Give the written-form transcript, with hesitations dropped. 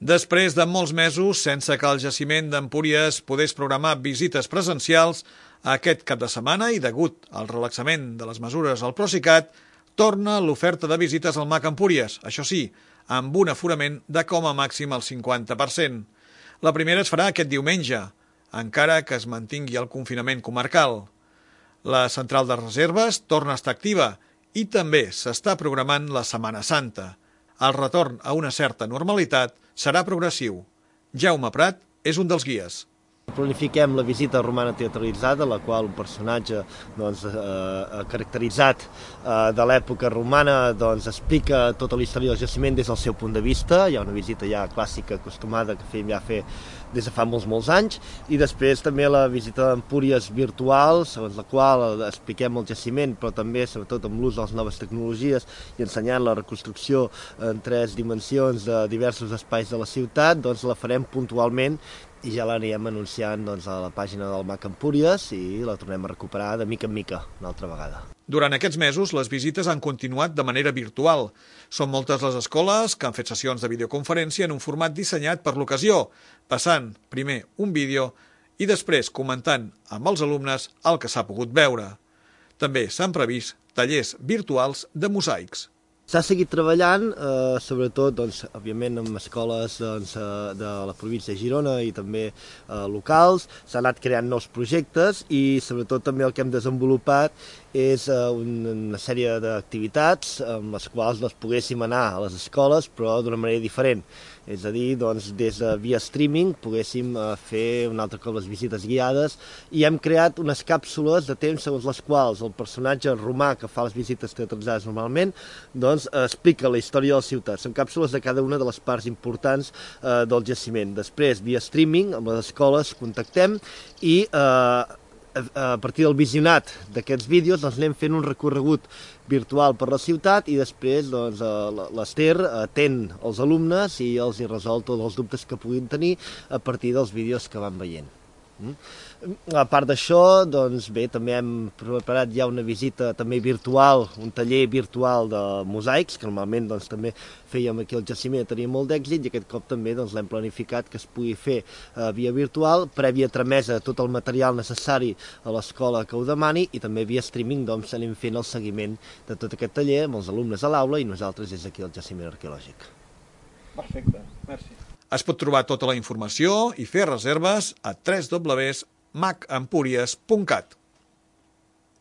Després de molts mesos, sense que el jaciment d'Empúries pogués programar visites presencials, aquest cap de setmana i degut al relaxament de les mesures al Procicat, torna l'oferta de visites al MAC Empúries, això sí, amb un aforament de com a màxim el 50%. La primera es farà aquest diumenge, encara que es mantingui el confinament comarcal. La central de reserves torna a estar activa i també s'està programant la Setmana Santa. El retorn a una certa normalitat serà progressiu. Jaume Prat és un dels guies. Planifiquem la visita romana teatralitzada, la qual un personatge caracteritzat de l'època romana explica tota la història del jaciment des del seu punt de vista. Hi ha una visita ja clàssica acostumada que fèiem ja fer des de fa molts anys, i després també la visita d'Empúries virtual, segons la qual expliquem el jaciment, però també sobretot amb l'ús de les noves tecnologies i ensenyant la reconstrucció en 3 dimensions de diversos espais de la ciutat. La farem puntualment i ja l'anirem anunciant a la pàgina del MAC Empúries i la tornem a recuperar de mica en mica una altra vegada. Durant aquests mesos, les visites han continuat de manera virtual. Són moltes les escoles que han fet sessions de videoconferència en un format dissenyat per l'ocasió, passant primer un vídeo i després comentant amb els alumnes el que s'ha pogut veure. També s'han previst tallers virtuals de mosaics. S'ha seguit treballant, sobretot, òbviament, amb escoles de la província de Girona i també locals. S'han anat creant nous projectes i, sobretot, també el que hem desenvolupat és una sèrie d'activitats amb les quals poguéssim anar a les escoles, però d'una manera diferent. És a dir, des de via streaming poguéssim fer un altre cop les visites guiades i hem creat unes càpsules de temps segons les quals el personatge romà que fa les visites teatralitzades normalment explica la història de la ciutat. Són càpsules de cada una de les parts importants del jaciment. Després, via streaming, amb les escoles contactem i a partir del visionat d'aquests vídeos anem fent un recorregut virtual per la ciutat i després l'Ester atén els alumnes i els resol tots els dubtes que puguin tenir a partir dels vídeos que van veient. A part d'això, també hem preparat ja una visita també virtual, un taller virtual de mosaics, que normalment també fèiem aquí al jaciment, tenia molt d'èxit, i aquest cop també l'hem planificat que es pugui fer via virtual, prèvia tramesa de tot el material necessari a l'escola que ho demani, i també via streaming anem fent el seguiment de tot aquest taller amb els alumnes a l'aula i nosaltres des d'aquí al jaciment arqueològic. Perfecte, merci. Es pot trobar tota la informació i fer reserves a www.macempúries.cat.